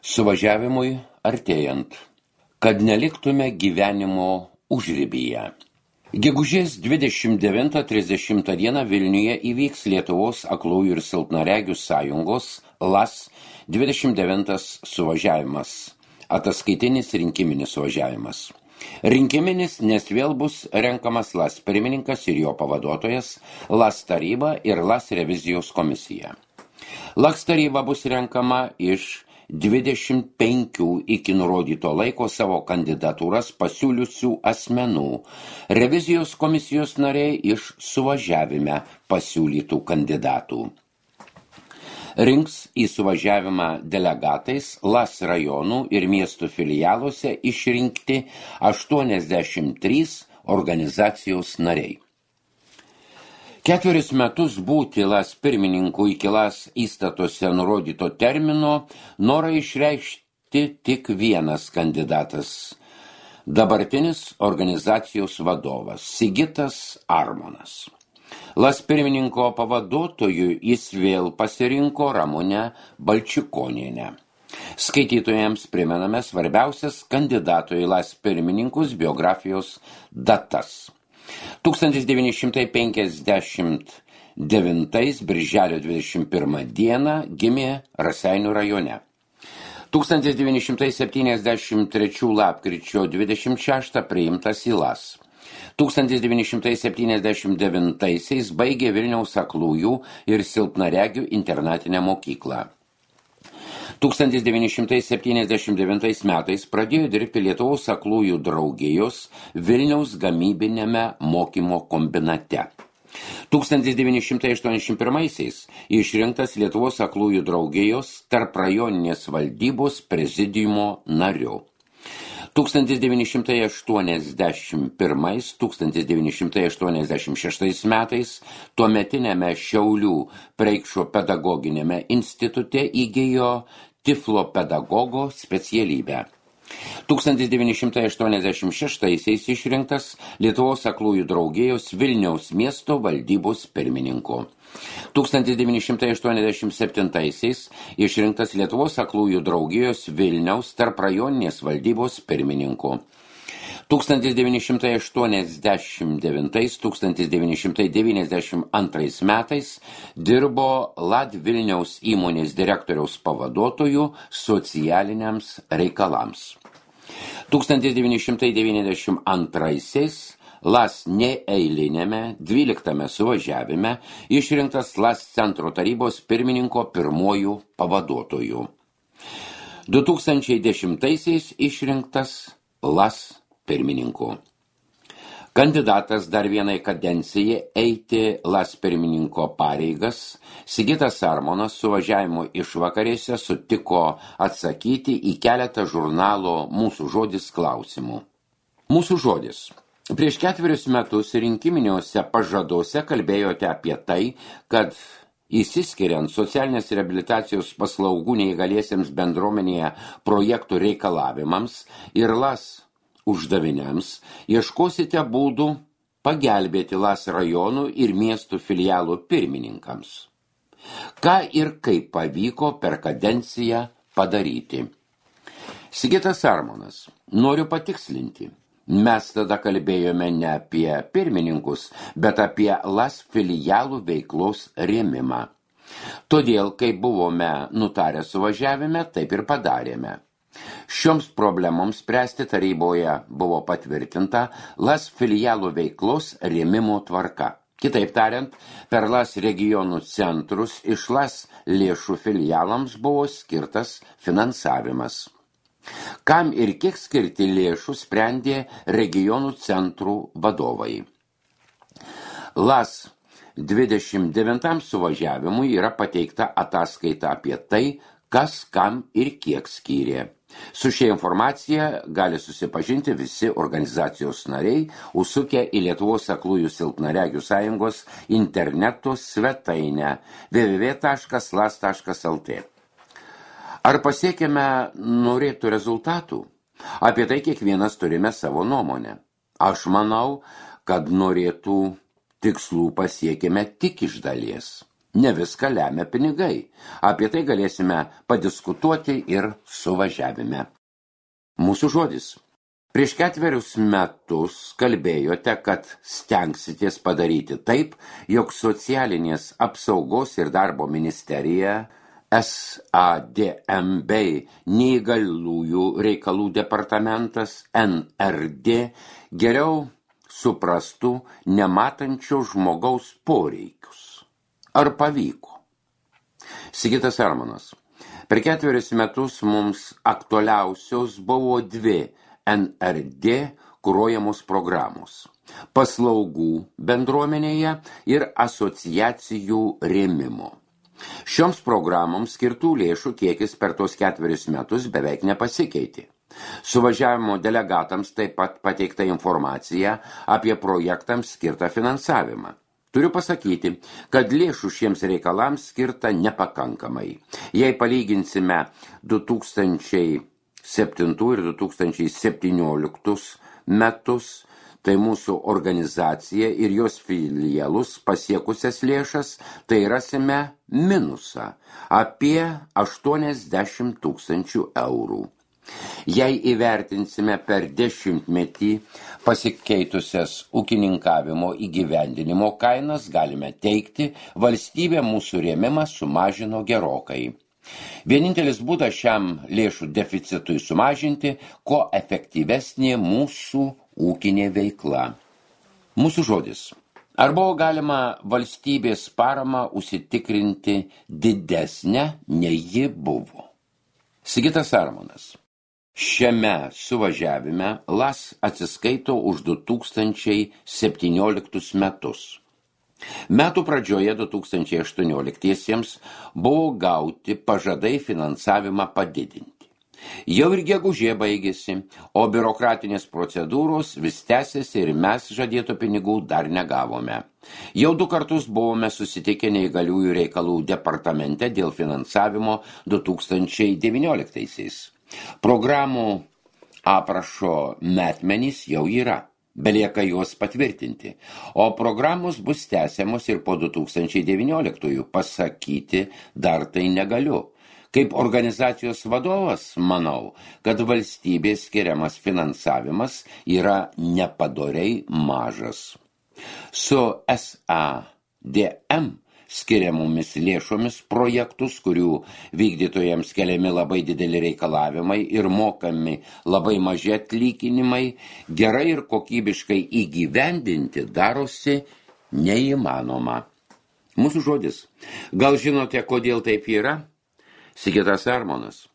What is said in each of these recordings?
Suvažiavimui artėjant, kad neliktume gyvenimo užribyje. Gegužės 29-30 dieną Vilniuje įvyks Lietuvos aklųjų ir silpnaregių sąjungos LAS 29 suvažiavimas, ataskaitinis rinkiminis suvažiavimas. Rinkiminis, nes vėl bus renkamas LAS pirmininkas ir jo pavaduotojas, LAS taryba ir LAS revizijos komisija. LAS taryba bus renkama iš 25 iki nurodyto laiko savo kandidatūras pasiūliusių asmenų, revizijos komisijos nariai iš suvažiavime pasiūlytų kandidatų. Rinks į suvažiavimą delegatais LAS rajonų ir miestų filialuose išrinkti 83 organizacijos nariai. 4 metus būti LAS pirmininku iki LAS įstatuose nurodyto termino norą išreikšti tik vienas kandidatas – dabartinis organizacijos vadovas Sigitas Armonas. LAS pirmininko pavaduotoju jis vėl pasirinko Ramunę Balčikonienę. Skaitytojams primename svarbiausias kandidato į LAS pirmininkus biografijos datas. 1959 birželio 21 dieną gimė Raseinių rajone. 1973 lapkričio 26 priimtas į LAS. 1979 baigė Vilniaus aklųjų ir silpnaregių internatinę mokyklą. 1979 metais pradėjo dirbti Lietuvos aklųjų draugijos Vilniaus gamybinėme mokymo kombinate. 1981 išrinktas Lietuvos aklųjų draugijos tarprajoninės valdybos prezidiumo nariu. 1981-1986 metais tuometinėme Šiaulių Preikšo pedagoginėme institute įgijo tiflopedagogo specialybę. 1986 išrinktas Lietuvos aklųjų draugijos Vilniaus miesto valdybos pirmininku. 1987 išrinktas Lietuvos aklųjų draugijos Vilniaus tarprajoninės valdybos pirmininku. 1989-1992 metais dirbo LAD Vilniaus įmonės direktoriaus pavaduotojų socialiniams reikalams. 1992 LAS neeilinėme 12 suvažiavime išrinktas LAS centro tarybos pirmininko pirmojų pavaduotojų. 2010 išrinktas LAS pirmininku. Kandidatas dar vienai kadencijai eiti LAS pirmininko pareigas, Sigitas Armonas suvažiavimo išvakarėse sutiko atsakyti į keletą žurnalo Mūsų žodis klausimų. Mūsų žodis. Prieš 4 metus rinkiminiuose pažaduose kalbėjote apie tai, kad įsiskiriant socialinės reabilitacijos paslaugų neįgaliesiems bendruomenėje projektų reikalavimams ir LAS uždaviniams, ieškosite būdų pagelbėti LAS rajonų ir miestų filialų pirmininkams. Ką ir kaip pavyko per kadenciją padaryti? Sigitas Armonas, noriu patikslinti. Mes tada kalbėjome ne apie pirmininkus, bet apie LAS filialų veiklos rėmimą. Todėl, kai buvome nutarę suvažiavime, taip ir padarėme. Šioms problemoms spręsti taryboje buvo patvirtinta LAS filialų veiklos rėmimo tvarka. Kitaip tariant, per LAS regionų centrus iš LAS lėšų filialams buvo skirtas finansavimas. Kam ir kiek skirti lėšų sprendė regionų centrų vadovai. LAS 29 suvažiavimui yra pateikta ataskaita apie tai, kas kam ir kiek skyrė. Su šia informacija gali susipažinti visi organizacijos nariai, užsukę į Lietuvos aklųjų silpnaregių sąjungos interneto svetainę www.las.lt. Ar pasiekėme norėtų rezultatų? Apie tai kiekvienas turime savo nuomonę. Aš manau, kad norėtų tikslų pasiekėme tik iš dalies. Ne viską lemia pinigai. Apie tai galėsime padiskutuoti ir suvažiavime. Mūsų žodis. Prieš 4 metus kalbėjote, kad stengsitės padaryti taip, jog socialinės apsaugos ir darbo ministerija, SADM bei neįgaliųjų reikalų departamentas NRD geriau suprastų nematančio žmogaus poreikius. Ar pavyko? Sigitas Armonas. Per 4 metus mums aktualiausios buvo 2 NRD kuruojamos programos – paslaugų bendruomenėje ir asociacijų rėmimo. Šioms programoms skirtų lėšų kiekis per tos 4 metus beveik nepasikeitė. Suvažiavimo delegatams taip pat pateikta informacija apie projektams skirtą finansavimą. Turiu pasakyti, kad lėšų šiems reikalams skirta nepakankamai. Jei palyginsime 2007 ir 2017 metus, tai mūsų organizacija ir jos filialus pasiekusias lėšas, tai rasime minusą apie 80 000 eurų. Jei įvertinsime per 10-metį pasikeitusias ūkininkavimo įgyvendinimo kainas, galime teigti, valstybė mūsų rėmimą sumažino gerokai. Vienintelis būdas šiam lėšų deficitui sumažinti, ko efektyvesnė mūsų ūkinė veikla. Mūsų žodis. Ar buvo galima valstybės paramą užsitikrinti didesnę, nei ji buvo? Sigitas Armonas. Šiame suvažiavime LAS atsiskaito už 2017 metus. Metų pradžioje 2018-iesiems buvo gauti pažadai finansavimą padidinti. Jau ir gegužė baigėsi, o biurokratinės procedūros vis tęsiasi ir mes žadėto pinigų dar negavome. Jau 2 kartus buvome susitikę neįgaliųjų reikalų departamente dėl finansavimo 2019-aisiais. Programų aprašo metmenys jau yra, belieka juos patvirtinti, o programos bus tęsiamos ir po 2019-ųjų, pasakyti dar tai negaliu. Kaip organizacijos vadovas, manau, kad valstybės skiriamas finansavimas yra nepadoriai mažas. Su SADM skiriamomis lėšomis projektus, kurių vykdytojams keliami labai dideli reikalavimai ir mokami labai maži atlyginimai, gerai ir kokybiškai įgyvendinti darosi neįmanoma. Mūsų žodis. Gal žinote, kodėl taip yra? Sigitas Armonas.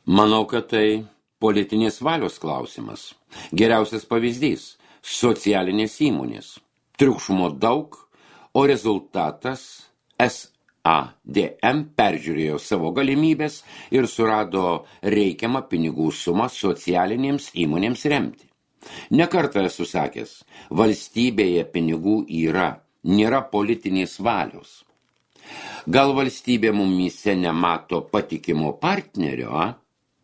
Manau, kad tai politinės valios klausimas. Geriausias pavyzdys – socialinės įmonės. Triukšmo daug, o rezultatas SADM peržiūrėjo savo galimybės ir surado reikiamą pinigų sumą socialinėms įmonėms remti. Nekartą esu sakęs, valstybėje pinigų yra, nėra politinės valios. Gal valstybė mumyse nemato patikimo partnerio,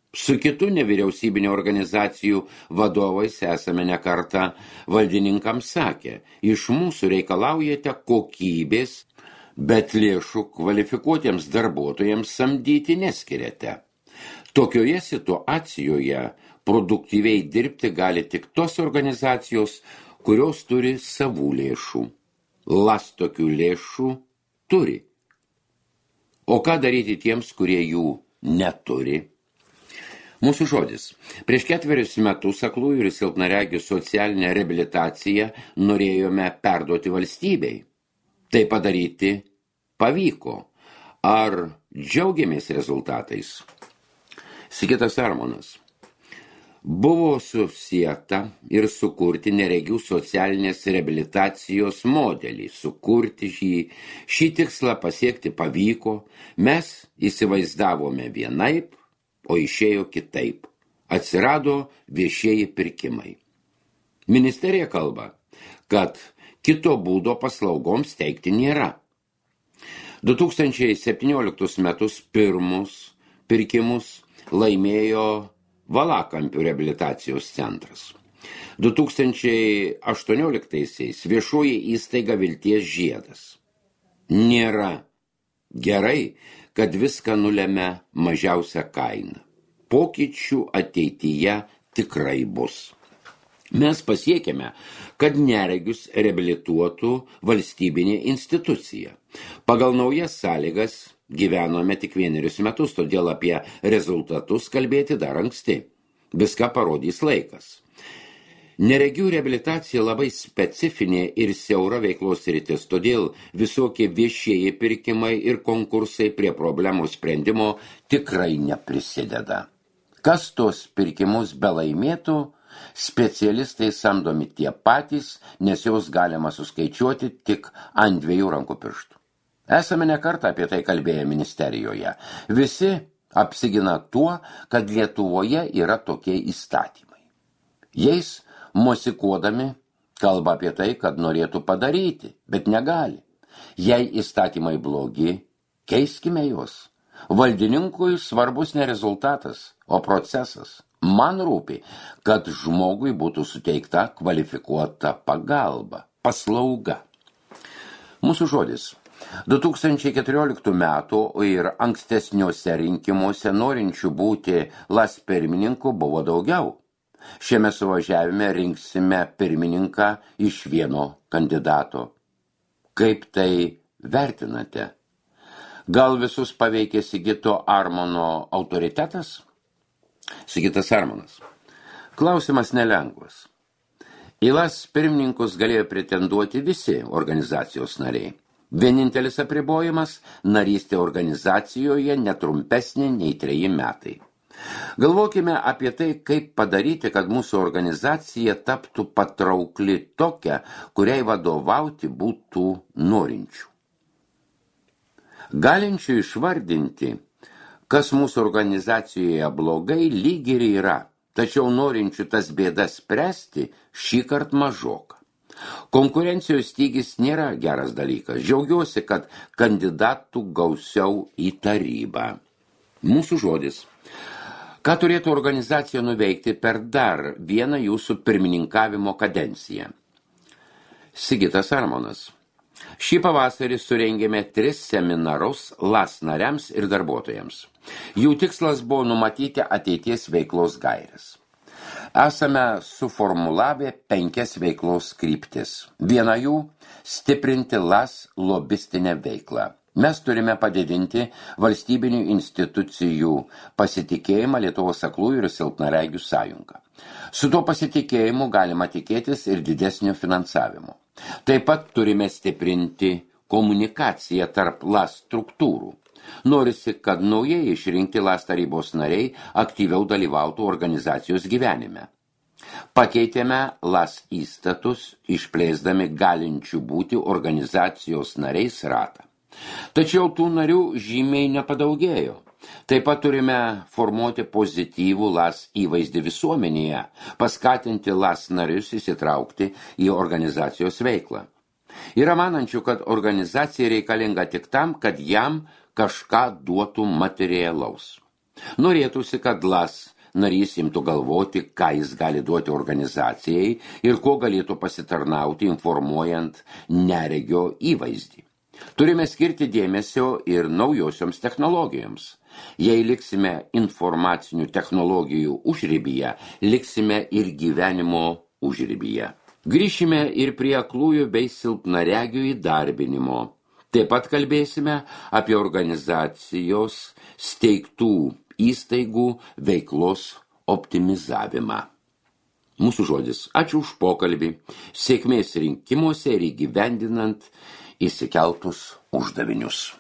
Su kitų nevyriausybinio organizacijų vadovais esame nekartą valdininkams sakę, iš mūsų reikalaujate kokybės, bet lėšų kvalifikuotiems darbuotojams samdyti neskiriate. Tokioje situacijoje produktyviai dirbti gali tik tos organizacijos, kurios turi savų lėšų. LAS tokių lėšų turi. O ką daryti tiems, kurie jų neturi? Mūsų žodis. Prieš 4 metus aklųjų ir silpnaregių socialinę reabilitaciją norėjome perduoti valstybei. Tai padaryti pavyko. Ar džiaugiamės rezultatais? Sigitas Armonas. Buvo susieta ir sukurti neregių socialinės reabilitacijos modelį. Sukurti šį tikslą pasiekti pavyko. Mes įsivaizdavome vienaip, o išėjo kitaip. Atsirado viešieji pirkimai. Ministerija kalba, kad kito būdo paslaugoms teikti nėra. 2017 metus pirmus pirkimus laimėjo Valakampių reabilitacijos centras. 2018 viešoji įstaiga Vilties žiedas. Nėra Gerai, kad viską nulemia mažiausia kaina. Pokyčių ateityje tikrai bus. Mes pasiekėme, kad neregius reabilituotų valstybinė institucija. Pagal naujas sąlygas gyvenome tik 1 metus, todėl apie rezultatus kalbėti dar anksti. Viską parodys laikas. Neregių reabilitacija labai specifinė ir siaura veiklos sritis, todėl visokie viešieji pirkimai ir konkursai prie problemų sprendimo tikrai neprisideda. Kas tos pirkimus belaimėtų, specialistai samdomi tie patys, nes jos galima suskaičiuoti tik ant 2 rankų pirštų. Esame ne kartą apie tai kalbėję ministerijoje. Visi apsigina tuo, kad Lietuvoje yra tokie įstatymai. Jais mosikuodami kalba apie tai, kad norėtų padaryti, bet negali. Jei įstatymai blogi, keiskime juos. Valdininkui svarbus ne rezultatas, o procesas. Man rūpi, kad žmogui būtų suteikta kvalifikuota pagalba, paslauga. Mūsų žodis. 2014 metų ir ankstesniuose rinkimuose norinčių būti LAS pirmininku buvo daugiau. Šiame suvažiavime rinksime pirmininką iš vieno kandidato. Kaip tai vertinate? Gal visus paveikė Sigito Armono autoritetas? Sigitas Armonas. Klausimas nelengvas. Į LAS pirmininkus galėjo pretenduoti visi organizacijos nariai. Vienintelis apribojimas – narystė organizacijoje netrumpesnė nei 3 metai. Galvokime apie tai, kaip padaryti, kad mūsų organizacija taptų patraukli tokia, kuriai vadovauti būtų norinčių. Galinčių išvardinti, kas mūsų organizacijoje blogai, lyg ir yra, tačiau norinčių tas bėdas spręsti šįkart mažoka. Konkurencijos stygis nėra geras dalykas. Džiaugiuosi, kad kandidatų gausiau į tarybą. Mūsų žodis. Ką turėtų organizacija nuveikti per dar vieną jūsų pirmininkavimo kadenciją? Sigitas Armonas. Šį pavasarį surengėme 3 seminarus LAS nariams ir darbuotojams. Jų tikslas buvo numatyti ateities veiklos gaires. Esame suformulavę 5 veiklos kryptis. Viena jų – stiprinti LAS lobistinę veiklą. Mes turime padidinti valstybinių institucijų pasitikėjimą Lietuvos aklųjų ir silpnaregių sąjungą. Su tuo pasitikėjimu galima tikėtis ir didesnio finansavimo. Taip pat turime stiprinti komunikaciją tarp LAS struktūrų. Norisi, kad naujai išrinkti LAS tarybos nariai aktyviau dalyvautų organizacijos gyvenime. Pakeitėme LAS įstatus, išplėsdami galinčių būti organizacijos nariais ratą. Tačiau tų narių žymiai nepadaugėjo. Taip pat turime formuoti pozityvų LAS įvaizdį visuomenėje, paskatinti LAS narius įsitraukti į organizacijos veiklą. Yra manančių, kad organizacija reikalinga tik tam, kad jam kažką duotų materialaus. Norėtųsi, kad LAS narys imtų galvoti, ką jis gali duoti organizacijai ir ko galėtų pasitarnauti, informuojant neregio įvaizdį. Turime skirti dėmesio ir naujosioms technologijoms. Jei liksime informacinių technologijų užribyje, liksime ir gyvenimo užribyje. Grįšime ir prie aklųjų bei silpnaregių įdarbinimo. Taip pat kalbėsime apie organizacijos steigtų įstaigų veiklos optimizavimą. Mūsų žodis. Ačiū už pokalbį. Sėkmės rinkimuose ir įgyvendinant įsikeltus uždavinius.